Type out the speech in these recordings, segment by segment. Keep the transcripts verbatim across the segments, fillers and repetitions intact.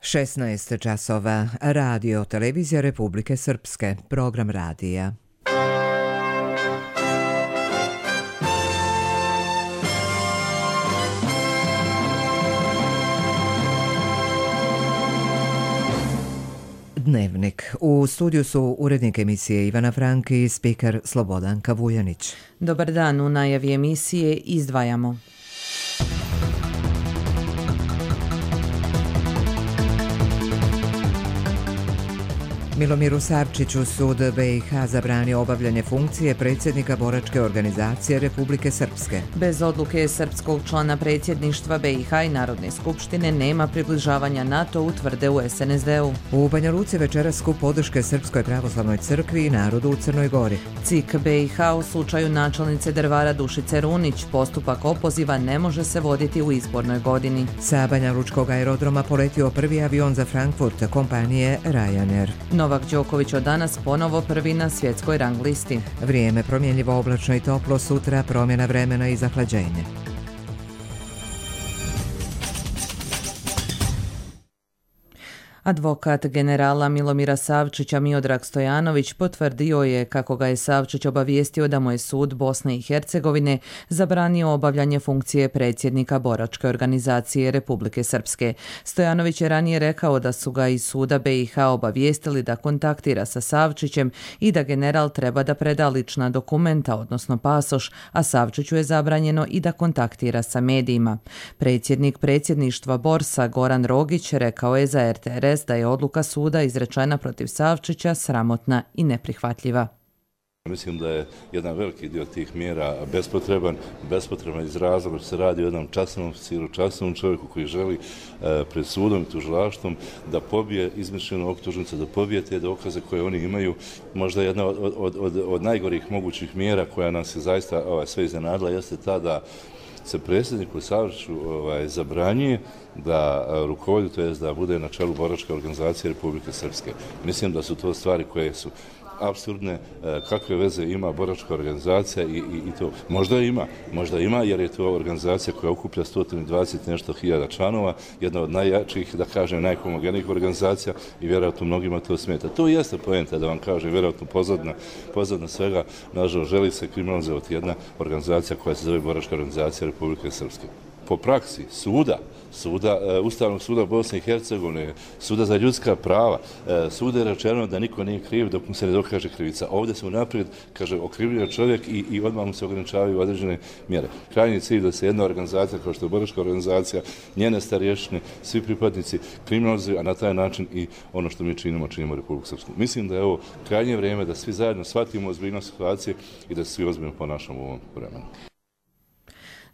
šesnaest časova. Radio Televizija Republike Srpske. Program radija. Dnevnik. U studiju su urednik emisije Ivana Frank i spiker Slobodanka Vujanić. Dobar dan, u najavi emisije izdvajamo. Milomiru Savčiću sud B i H zabranio obavljanje funkcije predsjednika boračke organizacije Republike Srpske. Bez odluke srpskog člana predsjedništva B i H i Narodne skupštine nema približavanja NATO-u, tvrde u S N S D-u. U Banja Luci večeras skup podrške Srpskoj pravoslavnoj crkvi i narodu u Crnoj Gori. C I K B i H u slučaju načelnice Drvara Dušice Runić. Postupak opoziva ne može se voditi u izbornoj godini. Sa Banja Lučkog aerodroma poletio prvi avion za Frankfurt kompanije Ryanair. Novak Đoković od danas ponovo prvi na svjetskoj rang listi. Vrijeme promjenjivo, oblačno i toplo, sutra promjena vremena i zahlađenje. Advokat generala Milomira Savčića Miodrag Stojanović potvrdio je kako ga je Savčić obavijestio da mu je sud Bosne i Hercegovine zabranio obavljanje funkcije predsjednika boračke organizacije Republike Srpske. Stojanović je ranije rekao da su ga iz suda B i H obavijestili da kontaktira sa Savčićem i da general treba da preda lična dokumenta, odnosno pasoš, a Savčiću je zabranjeno i da kontaktira sa medijima. Predsjednik predsjedništva Borsa Goran Rogić rekao je za R T R S da je odluka suda izrečena protiv Savčića sramotna i neprihvatljiva. Mislim da je jedan veliki dio tih mjera bespotreban, bespotreban iz razloga što se radi o jednom časnom oficiru, časnom čovjeku koji želi e, pred sudom i tužilaštvom da pobije izmišljenu optužnicu, da pobije te dokaze koje oni imaju. Možda jedna od, od, od, od najgorih mogućih mjera koja nas je zaista ovaj, sve iznenadila jeste ta da se predsjedniku Savčiću ovaj, zabranjuje da rukovodi, to je da bude na čelu boračke organizacije Republike Srpske. Mislim da su to stvari koje su apsurdne, kakve veze ima boračka organizacija i, i, i to. Možda ima, možda ima jer je to organizacija koja okuplja sto dvadeset nešto hiljada članova, jedna od najjačih, da kažem, najhomogenijih organizacija i vjerojatno mnogima to smeta. To jeste poenta, da vam kažem, vjerojatno pozadna, pozadna svega, nažalost, želi se kriminalizovati jedna organizacija koja se zove boračka organizacija Republike Srpske. Po praksi suda, suda, Ustavnog suda Bosne i Hercegovine, suda za ljudska prava, suda je rečeno da niko nije kriv dok mu se ne dokaže krivica. Ovdje se unaprijed, kaže, okrivio čovjek i, i odmah mu se ograničavaju određene mjere. Krajnji cilj da se jedna organizacija, kao što je boračka organizacija, njene starješine, svi pripadnici kriminalizuju, a na taj način i ono što mi činimo, činimo Republiku Srpsku. Mislim da je ovo krajnje vrijeme da svi zajedno shvatimo ozbiljnost situacije i da se svi ozbiljno ponašamo u ovom vremenu.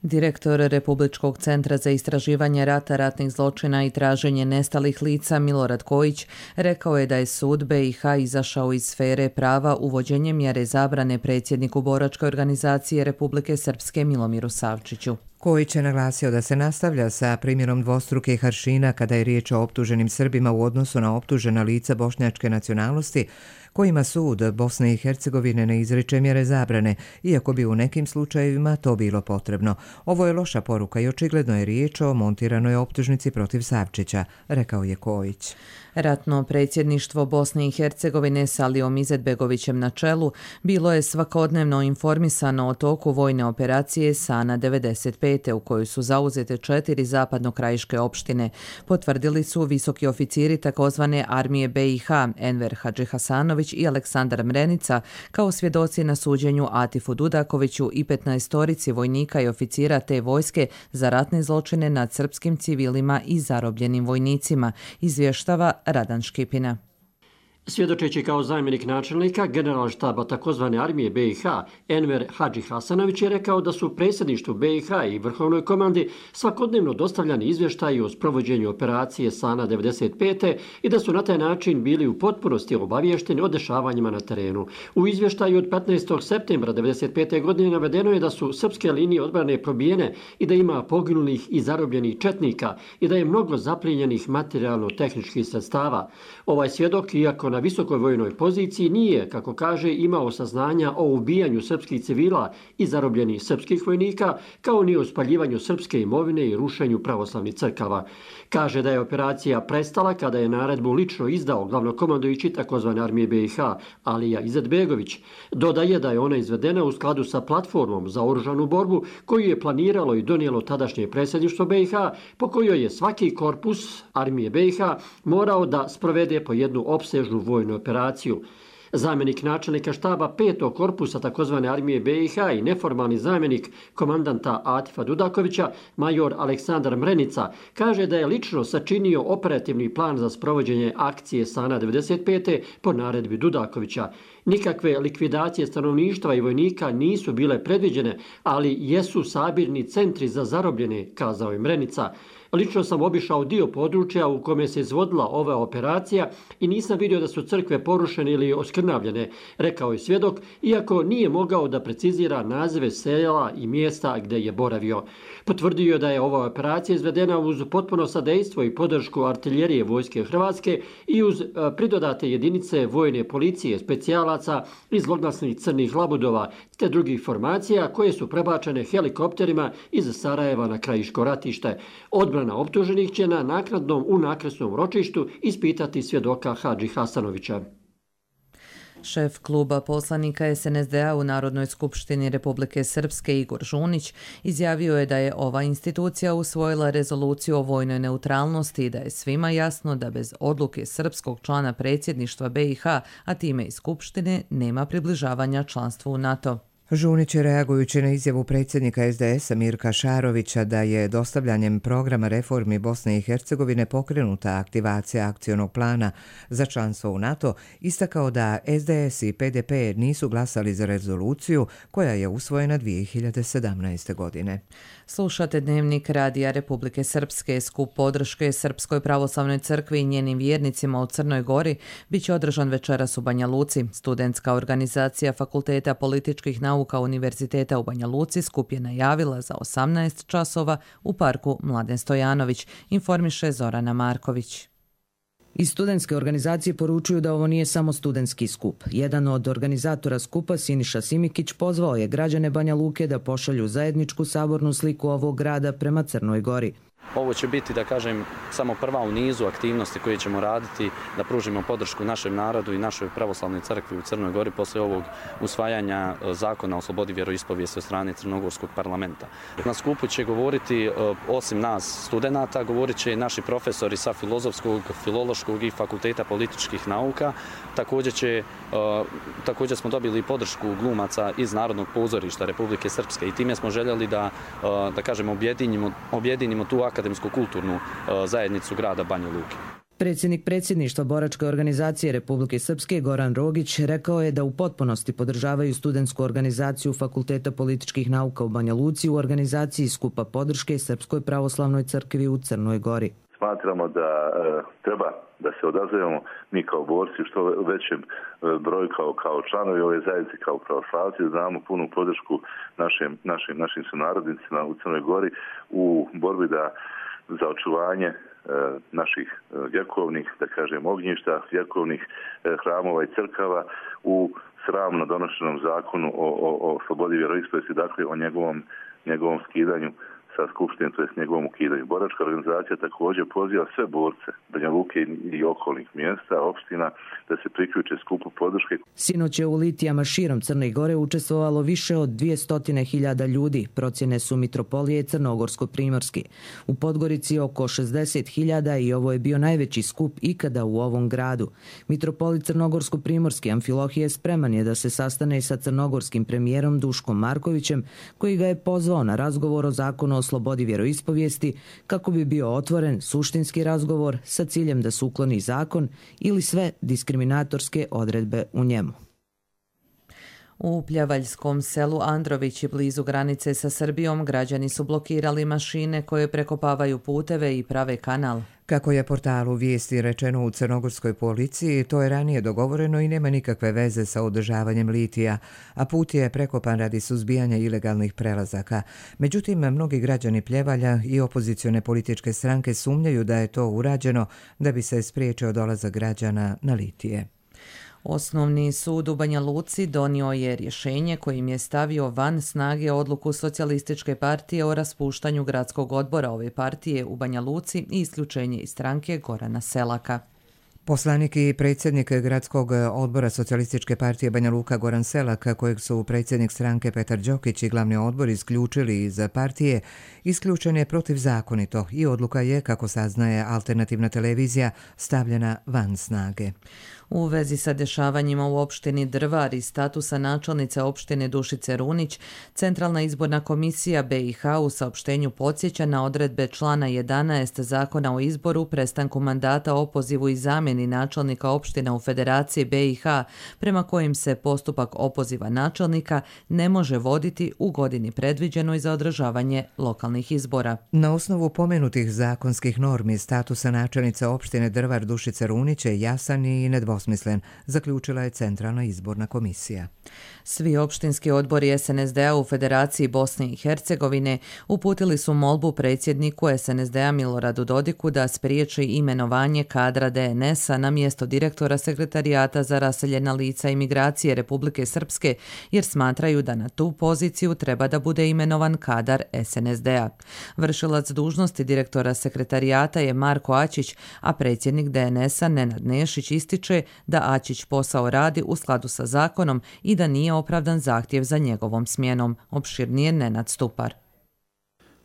Direktor Republičkog centra za istraživanje rata, ratnih zločina i traženje nestalih lica Milorad Kojić rekao je da je sud B i H izašao iz sfere prava uvođenjem mjere zabrane predsjedniku boračke organizacije Republike Srpske Milomiru Savčiću. Kojić je naglasio da se nastavlja sa primjerom dvostrukih aršina kada je riječ o optuženim Srbima u odnosu na optužena lica bošnjačke nacionalnosti, kojima sud Bosne i Hercegovine ne izriče mjere zabrane, iako bi u nekim slučajevima to bilo potrebno. Ovo je loša poruka i očigledno je riječ o montiranoj optužnici protiv Savčića, rekao je Kojić. Ratno predsjedništvo Bosne i Hercegovine s Alijom Izetbegovićem na čelu bilo je svakodnevno informisano o toku vojne operacije Sana devedeset pet u kojoj su zauzete četiri zapadnokrajiške opštine. Potvrdili su visoki oficiri takozvane armije B i H, Enver Hadžihasanović i Aleksandar Mrenica, kao svjedoci na suđenju Atifu Dudakoviću i petnaestorici vojnika i oficira te vojske za ratne zločine nad srpskim civilima i zarobljenim vojnicima, izvještava Radan Škipina. Svjedočeći kao zamjenik načelnika general štaba takozvane armije B i H, Enver Hadžihasanović je rekao da su predsjedništvu B i H i vrhovnoj komandi svakodnevno dostavljani izvještaji o sprovođenju operacije Sana devedeset pet i da su na taj način bili u potpunosti obavješteni o dešavanjima na terenu. U izvještaju od petnaestog septembra devedeset pete. godine navedeno je da su srpske linije odbrane probijene i da ima poginulih i zarobljenih četnika i da je mnogo zaplijenjenih materijalno-tehničkih sredstava. Ovaj svjedok, iako na visokoj vojnoj poziciji nije, kako kaže, imao saznanja o ubijanju srpskih civila i zarobljenih srpskih vojnika, kao ni o spaljivanju srpske imovine i rušenju pravoslavnih crkava. Kaže da je operacija prestala kada je naredbu lično izdao glavnokomandujući takozvane armije be i ha Alija Izetbegović. Dodaje da je ona izvedena u skladu sa platformom za oružanu borbu koju je planiralo i donijelo tadašnje predsjedništvo be i ha, po kojoj je svaki korpus armije be i ha morao da sprovede po jednu opsežnu vojnu operaciju. Zamjenik načelnika štaba petog korpusa takozvane armije be i ha i neformalni zamjenik komandanta Atifa Dudakovića, major Aleksandar Mrenica, kaže da je lično sačinio operativni plan za sprovođenje akcije Sana devedeset pete po naredbi Dudakovića. Nikakve likvidacije stanovništva i vojnika nisu bile predviđene, ali jesu sabirni centri za zarobljene, kazao je Mrenica. Lično sam obišao dio područja u kome se izvodila ova operacija i nisam vidio da su crkve porušene ili oskrnavljene, rekao je svjedok, iako nije mogao da precizira nazive sela i mjesta gdje je boravio. Potvrdio je da je ova operacija izvedena uz potpuno sadejstvo i podršku artiljerije Vojske Hrvatske i uz pridodate jedinice vojne policije, specijalaca i zloglasnih crnih labudova, te drugih formacija koje su prebačene helikopterima iz Sarajeva na krajiško ratište. Odbrana optuženih će na naknadnom unakresnom ročištu ispitati svjedoka Hadži Hasanovića. Šef kluba poslanika es en es de a u Narodnoj skupštini Republike Srpske Igor Žunić izjavio je da je ova institucija usvojila rezoluciju o vojnoj neutralnosti i da je svima jasno da bez odluke srpskog člana predsjedništva be i ha, a time i skupštine, nema približavanja članstvu u NATO. Žunić je, reagujući na izjavu predsjednika es de esa Mirka Šarovića da je dostavljanjem programa reformi Bosne i Hercegovine pokrenuta aktivacija akcionog plana za članstvo u NATO, istakao da es de es i pe de pe nisu glasali za rezoluciju koja je usvojena dvije hiljade sedamnaeste. godine. Slušate Dnevnik Radija Republike Srpske. Skup podrške Srpskoj pravoslavnoj crkvi i njenim vjernicima u Crnoj Gori bit će održan večeras u Banja Luci. Studentska organizacija Fakulteta političkih nauka Univerziteta u Banja Luci skup je najavila za osamnaest časova u parku Mladen Stojanović, informiše Zorana Marković. Iz studentske organizacije poručuju da ovo nije samo studentski skup. Jedan od organizatora skupa, Siniša Simikić, pozvao je građane Banja Luke da pošalju zajedničku sabornu sliku ovog grada prema Crnoj Gori. Ovo će biti, da kažem, samo prva u nizu aktivnosti koje ćemo raditi da pružimo podršku našem narodu i našoj pravoslavnoj crkvi u Crnoj Gori posle ovog usvajanja zakona o slobodi vjeroispovijesti od strane Crnogorskog parlamenta. Na skupu će govoriti, osim nas studenata, govorit će naši profesori sa Filozofskog, Filološkog i Fakulteta političkih nauka. Također, će, također smo dobili podršku glumaca iz Narodnog pozorišta Republike Srpske i time smo željeli da, da kažem, objedinimo, objedinimo tu akademsko-kulturnu zajednicu grada Banja Luke. Predsjednik predsjedništva boračke organizacije Republike Srpske Goran Rogić rekao je da u potpunosti podržavaju studentsku organizaciju Fakulteta političkih nauka u Banja Luci u organizaciji skupa podrške Srpskoj pravoslavnoj crkvi u Crnoj Gori. Smatramo da e, treba da se odazovemo mi kao borci što većem e, broju kao, kao članovi ove zajednice, kao pravoslavci, znamo punu podršku našim, našim, našim sunarodnicima u Crnoj Gori u borbi da za očuvanje e, naših e, vjekovnih, da kažem, ognjišta, vjekovnih e, hramova i crkava u sramno donošenom zakonu o, o, o slobodi vjeroispovijesti, dakle o njegovom, njegovom skidanju sa skupštinom, to je s njegovom ukidanju. Boračka organizacija također poziva sve borce Banja Luke i okolnih mjesta, opština, da se priključe skupu podrške. Sinoć je u litijama širom Crne Gore učestvovalo više od dvjesto hiljada ljudi, procjene su Mitropolije Crnogorsko-Primorski. U Podgorici oko šezdeset hiljada i ovo je bio najveći skup ikada u ovom gradu. Mitropolit Crnogorsko-Primorski Amfilohije spreman je da se sastane sa crnogorskim premijerom Duškom Markovićem, koji ga je pozvao na razgovor o zakonu o slobodi vjeroispovijesti kako bi bio otvoren suštinski razgovor sa ciljem da se ukloni zakon ili sve diskriminatorske odredbe u njemu. U Pljavaljskom selu Androvići blizu granice sa Srbijom građani su blokirali mašine koje prekopavaju puteve i prave kanal. Kako je portalu Vijesti rečeno u crnogorskoj policiji, to je ranije dogovoreno i nema nikakve veze sa održavanjem litija, a put je prekopan radi suzbijanja ilegalnih prelazaka. Međutim, mnogi građani Pljevalja i opozicione političke stranke sumnjaju da je to urađeno da bi se spriječio dolazak građana na litije. Osnovni sud u Banja Luci donio je rješenje kojim je stavio van snage odluku Socijalističke partije o raspuštanju gradskog odbora ove partije u Banja Luci i isključenje iz stranke Gorana Selaka. Poslanik i predsjednik gradskog odbora Socijalističke partije Banja Luka Goran Selak, kojeg su predsjednik stranke Petar Đokić i glavni odbor isključili iz partije, isključen je protivzakonito i odluka je, kako saznaje alternativna televizija, stavljena van snage. U vezi sa dešavanjima u opštini Drvar i statusa načelnice opštine Dušice Runić, Centralna izborna komisija B i H u saopštenju podsjeća na odredbe člana jedanaest Zakona o izboru, prestanku mandata, opozivu i zamjeni načelnika opština u Federaciji B i H, prema kojim se postupak opoziva načelnika ne može voditi u godini predviđenoj za održavanje lokalnih izbora. Na osnovu pomenutih zakonskih normi, statusa načelnice opštine Drvar Dušice Runić je jasan i nedvosmislen, zaključila je Centralna izborna komisija. Svi opštinski odbori S N S D-a u Federaciji Bosne i Hercegovine uputili su molbu predsjedniku S N S D-a Miloradu Dodiku da spriječi imenovanje kadra D N S-a na mjesto direktora Sekretarijata za raseljena lica i migracije Republike Srpske, jer smatraju da na tu poziciju treba da bude imenovan kadar S N S D-a. Vršilac dužnosti direktora Sekretarijata je Marko Ačić, a predsjednik D N S-a Nenad Nešić ističe da Ačić posao radi u skladu sa zakonom i da nije opravdan zahtjev za njegovom smjenom. Opširnije Nenad Stupar.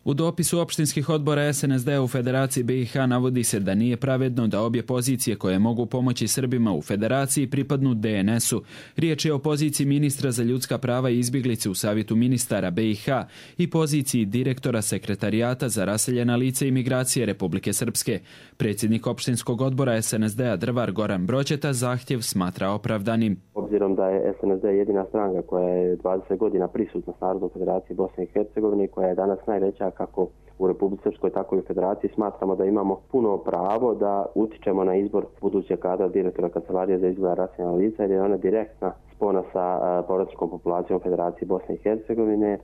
U dopisu opštinskih odbora S N S D-a u Federaciji B i H navodi se da nije pravedno da obje pozicije koje mogu pomoći Srbima u Federaciji pripadnu D N S-u. Riječ je o poziciji ministra za ljudska prava i izbjeglice u Savjetu ministara B i H i poziciji direktora Sekretarijata za raseljena lica i migracije Republike Srpske. Predsjednik opštinskog odbora S N S D-a Drvar Goran Broćeta zahtjev smatra opravdanim. Obzirom da je S N S D jedina stranka koja je dvadeset godina prisutna s Narodnom Federaciji Bosne i Hercegovine, koja je danas najveća kako u Republici Srpskoj, tako i u Federaciji, smatramo da imamo puno pravo da utičemo na izbor budućeg kadra direktora Kancelarije za izgleda raseljena lica, jer je ona direktna spona sa povratničkom populacijom Federacije Bosne i Hercegovine.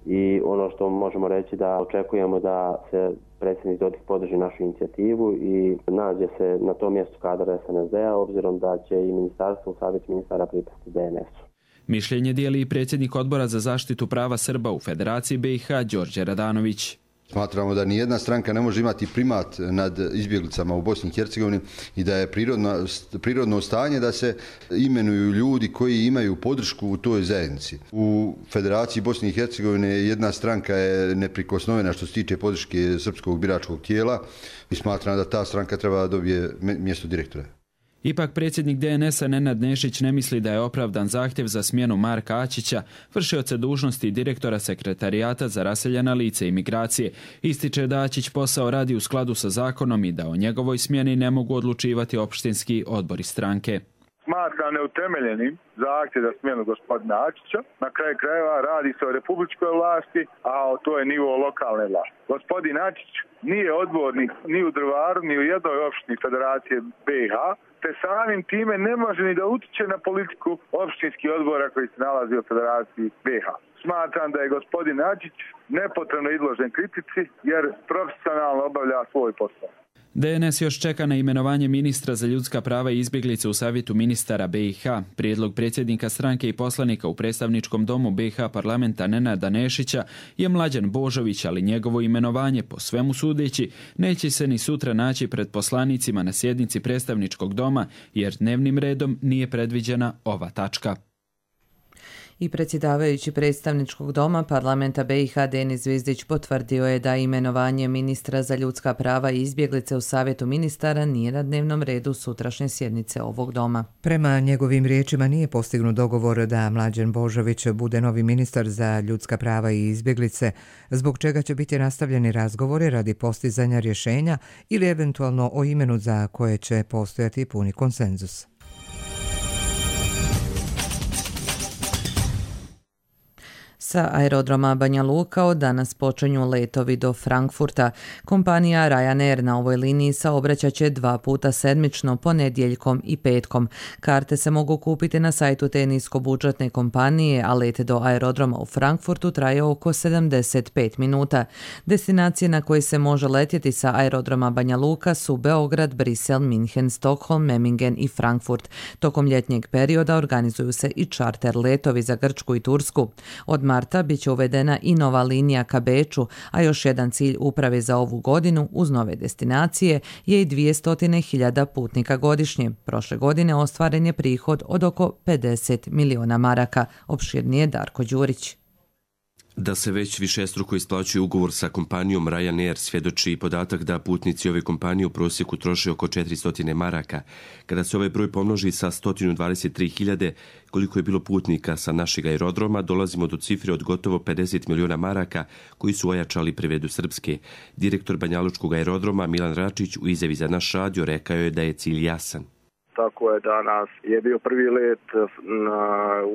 I ono što možemo reći da očekujemo da se predsjednik Dodik podrži našu inicijativu i nađe se na tom mjestu kadra S N S D-a, obzirom da će i ministarstvo u Savjet ministara pripasti D N S-u. Mišljenje dijeli i predsjednik odbora za zaštitu prava Srba u Federaciji B i H Đorđe Radanović. Smatramo da nijedna stranka ne može imati primat nad izbjeglicama u Bosni i Hercegovini i da je prirodno, prirodno stanje da se imenuju ljudi koji imaju podršku u toj zajednici. U Federaciji Bosne i Hercegovine jedna stranka je neprikosnovena što se tiče podrške srpskog biračkog tijela i smatram da ta stranka treba da dobije mjesto direktora. Ipak predsjednik D N S-a Nenad Nešić ne misli da je opravdan zahtjev za smjenu Marka Ačića, vršioca dužnosti direktora Sekretarijata za raseljena lica i migracije. Ističe da Ačić posao radi u skladu sa zakonom i da o njegovoj smjeni ne mogu odlučivati opštinski odbori stranke. Smatra neutemeljenim zahtjev za smjenu gospodina Ačića. Na kraju krajeva radi se o republičkoj vlasti, a to je nivo lokalne vlasti. Gospodin Ačić nije odbornik ni u Drvaru, ni u jednoj opštini Federacije B i H, te samim time ne može ni da utiče na politiku opštinskih odbora koji se nalazi u Federaciji B i H. Smatram da je gospodin Ačić nepotrebno izložen kritici jer profesionalno obavlja svoj posao. D N S još čeka na imenovanje ministra za ljudska prava i izbjeglice u Savjetu ministara B i H. Prijedlog predsjednika stranke i poslanika u predstavničkom domu B i H parlamenta Nenada Nešića je Mlađan Božović, ali njegovo imenovanje, po svemu sudeći, neće se ni sutra naći pred poslanicima na sjednici predstavničkog doma, jer dnevnim redom nije predviđena ova tačka. I predsjedavajući predstavničkog doma parlamenta B i H Denis Zvizdić potvrdio je da imenovanje ministra za ljudska prava i izbjeglice u Savjetu ministara nije na dnevnom redu sutrašnje sjednice ovog doma. Prema njegovim riječima nije postignut dogovor da Mlađan Božović bude novi ministar za ljudska prava i izbjeglice, zbog čega će biti nastavljeni razgovori radi postizanja rješenja ili eventualno o imenu za koje će postojati puni konsenzus. Sa aerodroma Banja Luka od danas počinju letovi do Frankfurta. Kompanija Ryanair na ovoj liniji saobraćat će dva puta sedmično, ponedjeljkom i petkom. Karte se mogu kupiti na sajtu te niskobudžetne kompanije, a let do aerodroma u Frankfurtu traje oko sedamdeset pet minuta. Destinacije na koje se može letjeti sa aerodroma Banja Luka su Beograd, Brisel, Minhen, Stockholm, Memmingen i Frankfurt. Tokom ljetnjeg perioda organizuju se i čarter letovi za Grčku i Tursku. Od marta bit će uvedena i nova linija ka Beču, a još jedan cilj uprave za ovu godinu uz nove destinacije je i dvjesto hiljada putnika godišnje. Prošle godine ostvaren je prihod od oko pedeset miliona maraka. Opširnije Darko Đurić. Da se već višestruko isplaćuje ugovor sa kompanijom Ryanair svjedoči i podatak da putnici ove kompanije u prosjeku troše oko četiristo maraka. Kada se ovaj broj pomnoži sa sto dvadeset tri hiljade, koliko je bilo putnika sa našeg aerodroma, dolazimo do cifre od gotovo pedeset miliona maraka koji su ojačali privredu Srpske. Direktor Banjalučkog aerodroma Milan Račić u izjavi za naš radio rekao je da je cilj jasan. Tako je danas je bio prvi let, na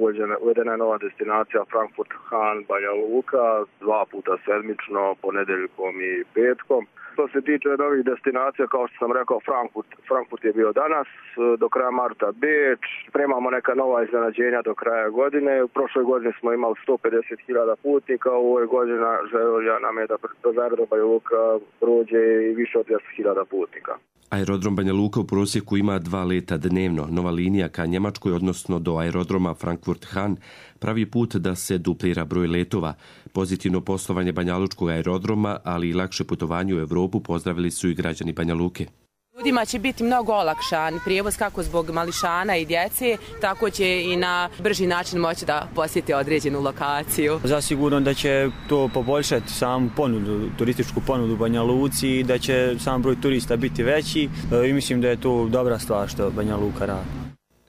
uvedena, uvedena je nova destinacija Frankfurt Han Banja Luka, dva puta sedmično, ponedeljkom i petkom. Što se tiče novih destinacija, kao što sam rekao, Frankfurt, Frankfurt je bio danas, do kraja marta Beč, spremamo neka nova iznenađenja do kraja godine. U prošloj godini smo imali sto pedeset hiljada putnika, u ovoj godini želja nam je da do aerodroma Banja Luka prođe i više od dvjesto hiljada putnika. Aerodrom Banja Luka u prosjeku ima dva leta dnevno. Nova linija ka Njemačkoj, odnosno do aerodroma Frankfurt Han, pravi put da se duplira broj letova. Pozitivno poslovanje Banjalučkog aerodroma, ali i lakše putovanje u Evropu pozdravili su i građani Banja Luke. Ljudima će biti mnogo olakšan prijevoz kako zbog mališana i djece, tako će i na brži način moći da posjeti određenu lokaciju. Zasigurno da će to poboljšati samu ponudu, turističku ponudu u Banja Luci i da će sam broj turista biti veći i mislim da je to dobra stvar što Banja Luka radi.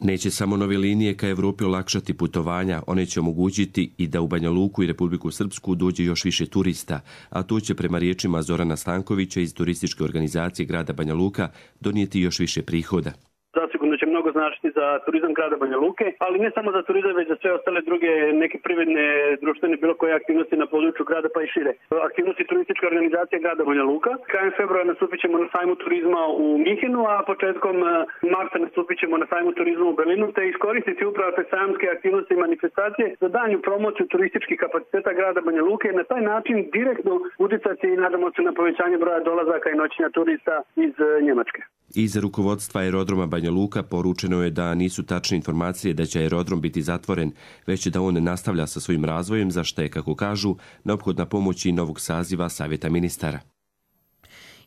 Neće samo nove linije ka Evropi olakšati putovanja, one će omogućiti i da u Banja Luku i Republiku Srpsku dođe još više turista, a to će prema riječima Zorana Stankovića iz turističke organizacije grada Banja Luka donijeti još više prihoda. Zasigurno će mnogo značiti za turizam grada Banja Luke, ali ne samo za turizam, već za sve ostale druge neke privredne, društvene, bilo koje aktivnosti na području grada pa i šire. Aktivnosti turističke organizacije grada Banja Luka. Krajem februara nastupit ćemo na sajmu turizma u Minhenu, a početkom marta nastupit ćemo na sajmu turizma u Berlinu, te iskoristiti upravo te sajamske aktivnosti i manifestacije za danju promociju turističkih kapaciteta grada Banja Luke i na taj način direktno uticati i nadamo se na povećanje broja dolazaka i noćenja turista iz Njemačke. Iz rukovodstva aerodroma Banja Luka poručeno je da nisu tačne informacije da će aerodrom biti zatvoren, već da on nastavlja sa svojim razvojem, za što je, kako kažu, neophodna pomoć i novog saziva Savjeta ministara.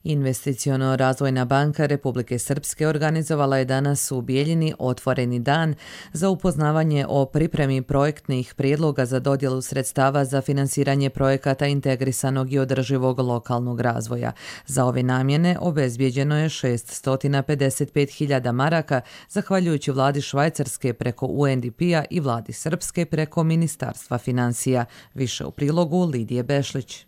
Investiciono-razvojna banka Republike Srpske organizovala je danas u Bijeljini otvoreni dan za upoznavanje o pripremi projektnih prijedloga za dodjelu sredstava za finansiranje projekata integrisanog i održivog lokalnog razvoja. Za ove namjene obezbijeđeno je šesto pedeset pet hiljada maraka, zahvaljujući vladi Švajcarske preko U N D P-a i vladi Srpske preko Ministarstva financija. Više u prilogu Lidije Bešlić.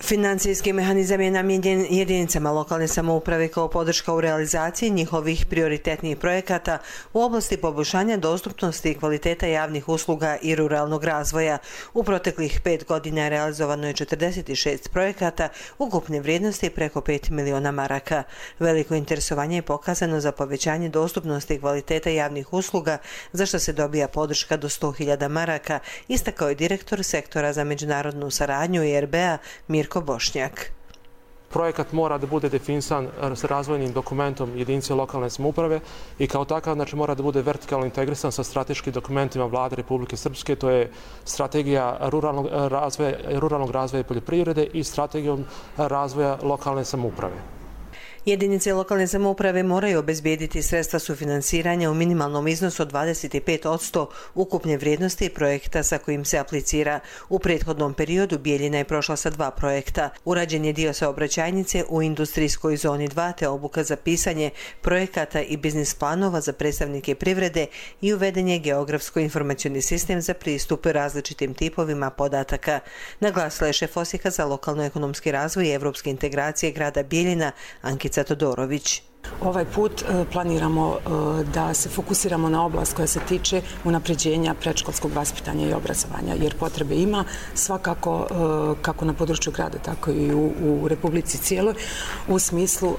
Financijski mehanizam je namijenjen jedinicama lokalne samouprave kao podrška u realizaciji njihovih prioritetnih projekata u oblasti poboljšanja dostupnosti i kvaliteta javnih usluga i ruralnog razvoja. U proteklih pet godina realizovano je četrdeset šest projekata ukupne vrijednosti preko pet miliona maraka. Veliko interesovanje je pokazano za povećanje dostupnosti i kvaliteta javnih usluga, za što se dobija podrška do sto hiljada maraka, istakao je direktor sektora za međunarodnu saradnju I R B-a Mirko Bošnjak. Projekat mora da bude definisan s razvojnim dokumentom jedinice lokalne samouprave i kao takav znači, mora da bude vertikalno integrisan sa strateškim dokumentima vlade Republike Srpske, to je strategija ruralnog razvoja, ruralnog razvoja i poljoprivrede i strategijom razvoja lokalne samouprave. Jedinice lokalne samouprave moraju obezbijediti sredstva sufinansiranja u minimalnom iznosu od dvadeset pet posto ukupne vrijednosti projekta sa kojim se aplicira. U prethodnom periodu Bijeljina je prošla sa dva projekta. Urađen je dio saobraćajnice u industrijskoj zoni dva te obuka za pisanje projekata i biznis planova za predstavnike privrede i uveden je geografsko-informacioni sistem za pristup različitim tipovima podataka. Naglasila je šef Osijeka za lokalno-ekonomski razvoj i evropske integracije grada Bijeljina Ankica Todorović. Ovaj put planiramo da se fokusiramo na oblast koja se tiče unapređenja predškolskog vaspitanja i obrazovanja, jer potrebe ima svakako kako na području grada, tako i u, u Republici cijeloj, u smislu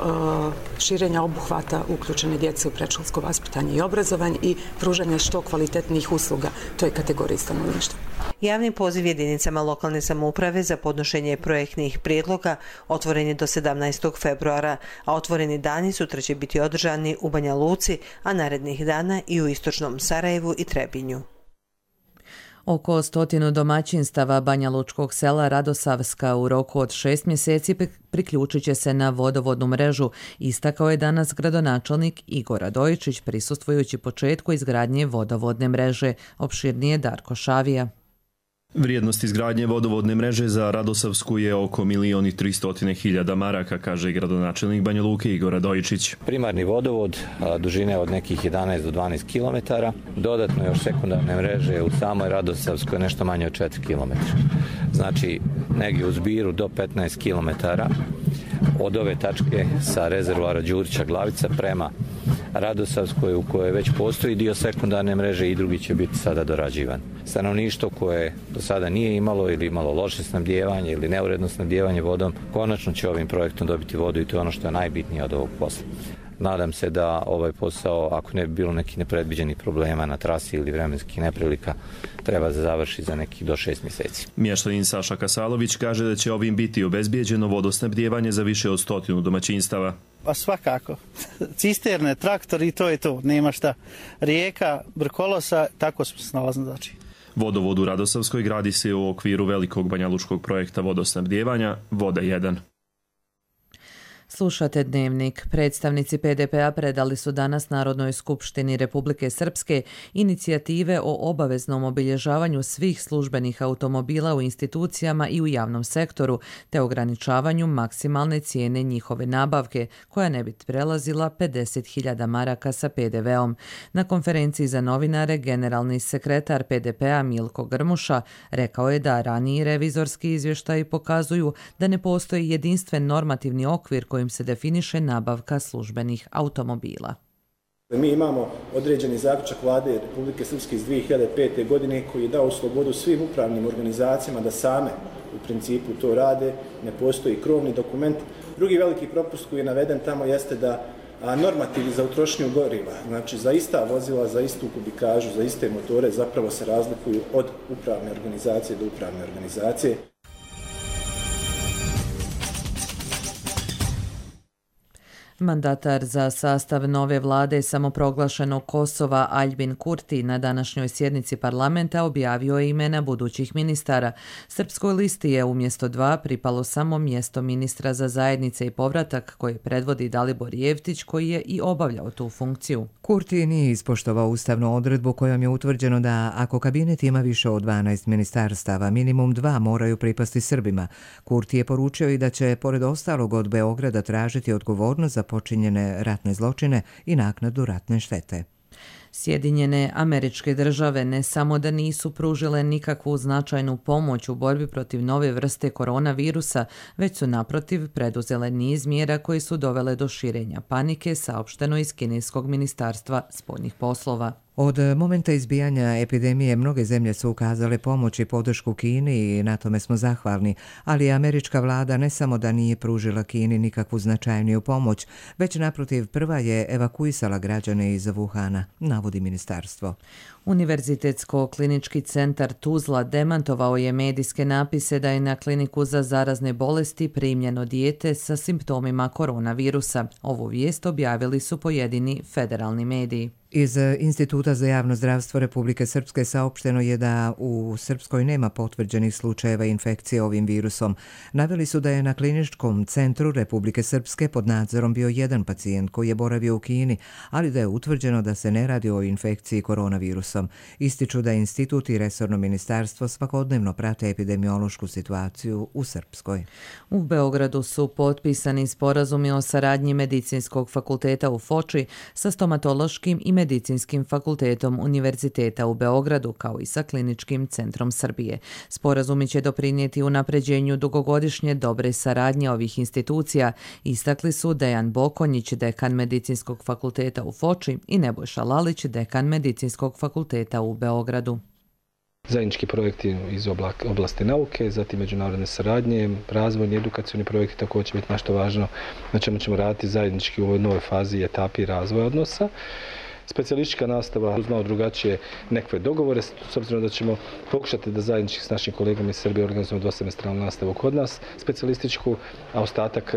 širenja obuhvata uključene djece u predškolsko vaspitanje i obrazovanje i pružanja što kvalitetnijih usluga toj kategoriji stanovništva. Javni poziv jedinicama lokalne samouprave za podnošenje projektnih prijedloga otvoren je do sedamnaestog februara, a otvoreni dani sutra će biti održani u Banja Luci, a narednih dana i u istočnom Sarajevu i Trebinju. Oko stotinu domaćinstava Banja Lučkog sela Radosavska u roku od šest mjeseci priključit će se na vodovodnu mrežu, istakao je danas gradonačelnik Igor Radojičić prisustvujući početku izgradnje vodovodne mreže. Opširnije Darko Šavija. Vrijednost izgradnje vodovodne mreže za Radosavsku je oko milijon i tristotine hiljada maraka, kaže gradonačelnik Banja Luke Igor Radojičić. Primarni vodovod dužine od nekih jedanaest do dvanaest kilometara, dodatno još sekundarne mreže u samoj Radosavskoj nešto manje od četiri kilometra. Znači negdje u zbiru do petnaest kilometara od ove tačke sa rezervoara Đurića Glavica prema Radosavskoj, u kojoj već postoji dio sekundarne mreže i drugi će biti sada dorađivan. Stanovništvo koje do sada nije imalo ili imalo loše snabdijevanje ili neuredno snabdijevanje vodom, konačno će ovim projektom dobiti vodu i to je ono što je najbitnije od ovog posla. Nadam se da ovaj posao, ako ne bi bilo nekih nepredviđenih problema na trasi ili vremenskih neprilika, treba da završi za nekih do šest mjeseci. Mještanin Saša Kasalović kaže da će ovim biti obezbijeđeno vodosnabdijevanje za više od stotinu domaćinstava. Pa svakako. Cisterne, traktori i to je to. Nema šta. Rijeka, Brkolosa, tako smo se nalazili. Znači. Vodovod u Radosavskoj gradi se u okviru velikog banjalučkog projekta vodosnabdijevanja Voda jedan. Slušate Dnevnik. Predstavnici P D P-a predali su danas Narodnoj skupštini Republike Srpske inicijative o obaveznom obilježavanju svih službenih automobila u institucijama i u javnom sektoru, te ograničavanju maksimalne cijene njihove nabavke, koja ne bi prelazila pedeset hiljada maraka sa P D V-om. Na konferenciji za novinare generalni sekretar P D P-a Milko Grmuša rekao je da raniji revizorski izvještaji pokazuju da ne postoji jedinstven normativni okvir kojim se definiše nabavka službenih automobila. Mi imamo određeni zaključak vlade Republike Srpske iz dvije hiljade pete. godine koji je dao slobodu svim upravnim organizacijama da same u principu to rade, ne postoji krovni dokument. Drugi veliki propust koji je naveden tamo jeste da normativi za utrošnju goriva, znači za ista vozila, za istu kubikažu, za iste motore zapravo se razlikuju od upravne organizacije do upravne organizacije. Mandatar za sastav nove vlade samoproglašenog Kosova Aljbin Kurti na današnjoj sjednici parlamenta objavio je imena budućih ministara. Srpskoj listi je umjesto dva pripalo samo mjesto ministra za zajednice i povratak koje predvodi Dalibor Jevtić, koji je i obavljao tu funkciju. Kurti nije ispoštovao ustavnu odredbu kojom je utvrđeno da ako kabinet ima više od dvanaest ministarstava, minimum dva moraju pripasti Srbima. Kurti je poručio i da će, pored ostalog, od Beograda tražiti odgovornost za počinjene ratne zločine i naknadu ratne štete. Sjedinjene Američke Države ne samo da nisu pružile nikakvu značajnu pomoć u borbi protiv nove vrste koronavirusa, već su naprotiv preduzele niz mjera koji su dovele do širenja panike, saopšteno iz kineskog ministarstva spoljnih poslova. Od momenta izbijanja epidemije mnoge zemlje su ukazale pomoć i podršku Kini i na tome smo zahvalni, ali američka vlada ne samo da nije pružila Kini nikakvu značajniju pomoć, već naprotiv prva je evakuisala građane iz Wuhana, navodi ministarstvo. Univerzitetsko-klinički centar Tuzla demantovao je medijske napise da je na kliniku za zarazne bolesti primljeno dijete sa simptomima koronavirusa. Ovu vijest objavili su pojedini federalni mediji. Iz Instituta za javno zdravstvo Republike Srpske saopšteno je da u Srpskoj nema potvrđenih slučajeva infekcije ovim virusom. Naveli su da je na kliničkom centru Republike Srpske pod nadzorom bio jedan pacijent koji je boravio u Kini, ali da je utvrđeno da se ne radi o infekciji koronavirusom. Ističu da institut i resorno ministarstvo svakodnevno prate epidemiološku situaciju u Srpskoj. U Beogradu su potpisani sporazumi o saradnji Medicinskog fakulteta u Foči sa stomatološkim i medicinskim Medicinskim fakultetom Univerziteta u Beogradu, kao i sa Kliničkim centrom Srbije. Sporazumi će doprinijeti unapređenju dugogodišnje dobre saradnje ovih institucija, istakli su Dejan Bokonjić, dekan Medicinskog fakulteta u Foči, i Nebojša Lalić, dekan Medicinskog fakulteta u Beogradu. Zajednički projekti iz oblasti nauke, zatim međunarodne saradnje, razvojni, edukacioni projekti također će biti nešto važno, na čemu ćemo raditi zajednički u ovoj novoj fazi i etapi razvoja odnosa. Specijalistička nastava uz malo drugačije nekakve dogovore, s obzirom da ćemo pokušati da zajednički s našim kolegama iz Srbije organizujemo dvosemestralnu nastavu kod nas, specijalističku, a ostatak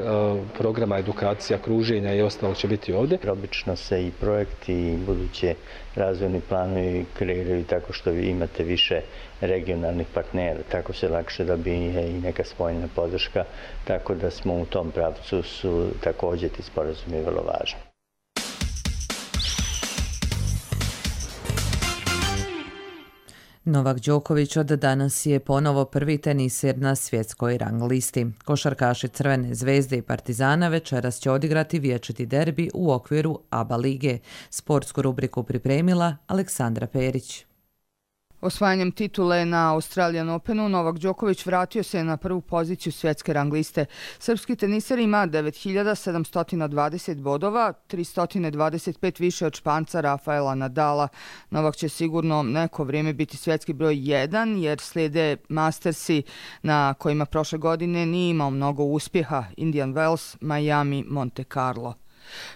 programa, edukacija, kruženja i ostalog će biti ovdje. Obično se i projekti i buduće razvojni planovi kreiraju tako što vi imate više regionalnih partnera, tako se lakše dobije i neka spoljna podrška, tako da smo u tom pravcu su također ti sporazumi vrlo važni. Novak Đoković od danas je ponovo prvi teniser na svjetskoj rang listi. Košarkaši Crvene zvezde i Partizana večeras će odigrati vječiti derbi u okviru A B A lige. Sportsku rubriku pripremila Aleksandra Perić. Osvajanjem titule na Australian Openu, Novak Đoković vratio se na prvu poziciju svjetske rang liste. Srpski teniser ima devet hiljada sedamsto dvadeset bodova, tristo dvadeset pet više od Španca Rafaela Nadala. Novak će sigurno neko vrijeme biti svjetski broj jedan, jer slijede Mastersi na kojima prošle godine nije imao mnogo uspjeha: Indian Wells, Miami, Monte Carlo.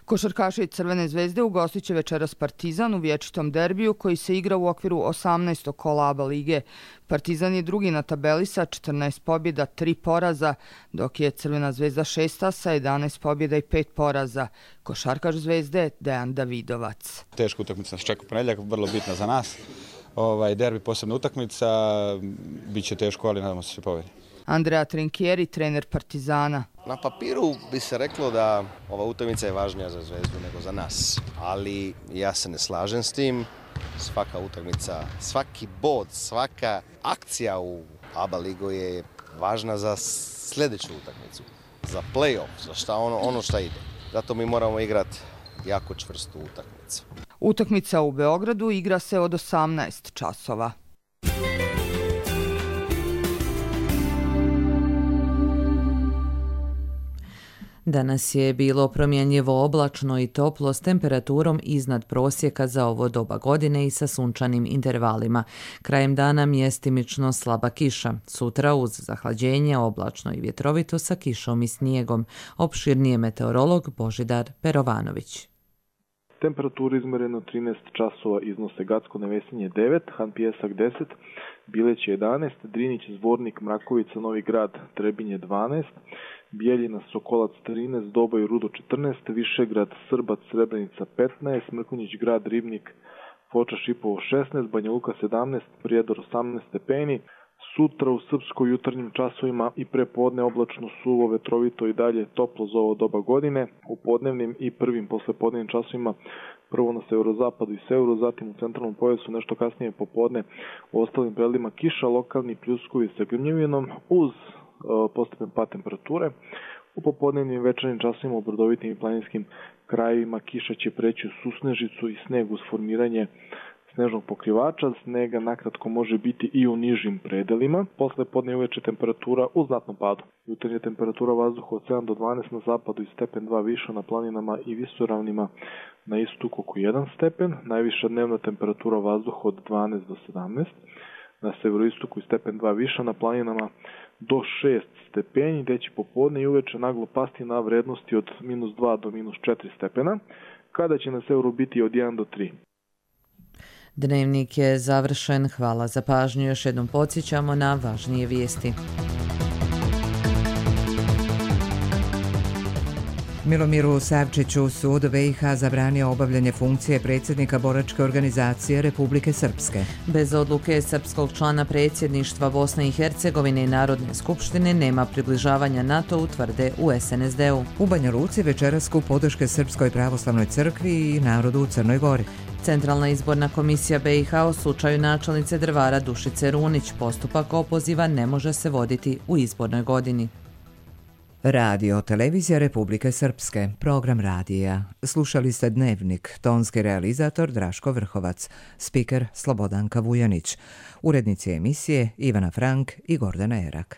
Košarkaši Crvene zvezde ugostit će večeras Partizan u vječitom derbiju koji se igra u okviru osamnaestog kola A B A lige. Partizan je drugi na tabeli sa četrnaest pobjeda, tri poraza, dok je Crvena zvezda šesta sa jedanaest pobjeda i pet poraza. Košarkaš Zvezde Dejan Davidovac. Teška utakmica nas čeka u ponedjeljak, vrlo bitna za nas. Ovaj derbi posebna utakmica, bit će teško, ali nadamo se se pobjedi. Andrea Trinchieri, trener Partizana. Na papiru bi se reklo da ova utakmica je važnija za Zvezdu nego za nas, ali ja se ne slažem s tim. Svaka utakmica, svaki bod, svaka akcija u A B A ligu je važna za sljedeću utakmicu, za play-off, za šta ono, ono šta ide. Zato mi moramo igrati jako čvrstu utakmicu. Utakmica u Beogradu igra se od osamnaest časova. Danas je bilo promjenjivo oblačno i toplo s temperaturom iznad prosjeka za ovo doba godine i sa sunčanim intervalima. Krajem dana mjestimično slaba kiša. Sutra uz zahlađenje oblačno i vjetrovito sa kišom i snijegom. Opširnije meteorolog Božidar Perovanović. Temperatura izmjerena trinaest časova iznose Gacko Nevesinje devet, Han Pijesak deset, Bileć jedanaest, Drinić, Zvornik, Mrakovica, Novi Grad, Trebinje dvanaest, Bijeljina, Sokolac trinaest, Doboj, Rudo četrnaest, Višegrad, Srbac, Srebrenica petnaest, Mrkonjić Grad, Ribnik, Foča, Šipovo šesnaest, Banja Luka sedamnaest, Prijedor osamnaest stepeni. Sutra u Srpskoj jutarnjim časovima i prepodne oblačno, suvo, vetrovito i dalje toplo za ovo doba godine. U podnevnim i prvim poslepodnevnim časovima prvo na severozapadu i severu, zatim u centralnom pojasu nešto kasnije popodne u ostalim predelima kiša, lokalni pljuskovi sa grmljavinom uz uh, postepen pad temperature. U popodnevnim i večernjim časovima u brdovitim i planinskim krajevima kiša će preći u susnežicu i sneg uz formiranje snežnog pokrivača. Snega nakratko može biti i u nižim predelima. Posle podne i uveče temperatura u znatnom padu. Jutarnja temperatura vazduha od sedam do dvanaest na zapadu i stepen dva više na planinama i visoravnima, na istoku oko jedan stepen. Najviša dnevna temperatura vazduha od dvanaest do sedamnaest. Na severoistoku i stepen dva više na planinama do šest stepeni, gdje će popodne i uveče naglo pasti na vrednosti od minus dva do minus četiri stepena, kada će na severu biti od jedan do tri. Dnevnik je završen. Hvala za pažnju. Još jednom podsjećamo na važnije vijesti. Milomiru Savčiću sud B i H zabranio obavljanje funkcije predsjednika boračke organizacije Republike Srpske. Bez odluke srpskog člana predsjedništva Bosne i Hercegovine i Narodne skupštine nema približavanja NATO-u, tvrde u S N S D-u. U Banja Luci večeras skup podrške Srpskoj pravoslavnoj crkvi i narodu u Crnoj Gori. Centralna izborna komisija B i H u slučaju načelnice Drvara Dušice Runić postupak opoziva ne može se voditi u izbornoj godini. Radio Televizija Republike Srpske, program radija. Slušali ste Dnevnik, tonski realizator Draško Vrhovac, spiker Slobodanka Vujanić, urednici emisije Ivana Frank i Gordana Erak.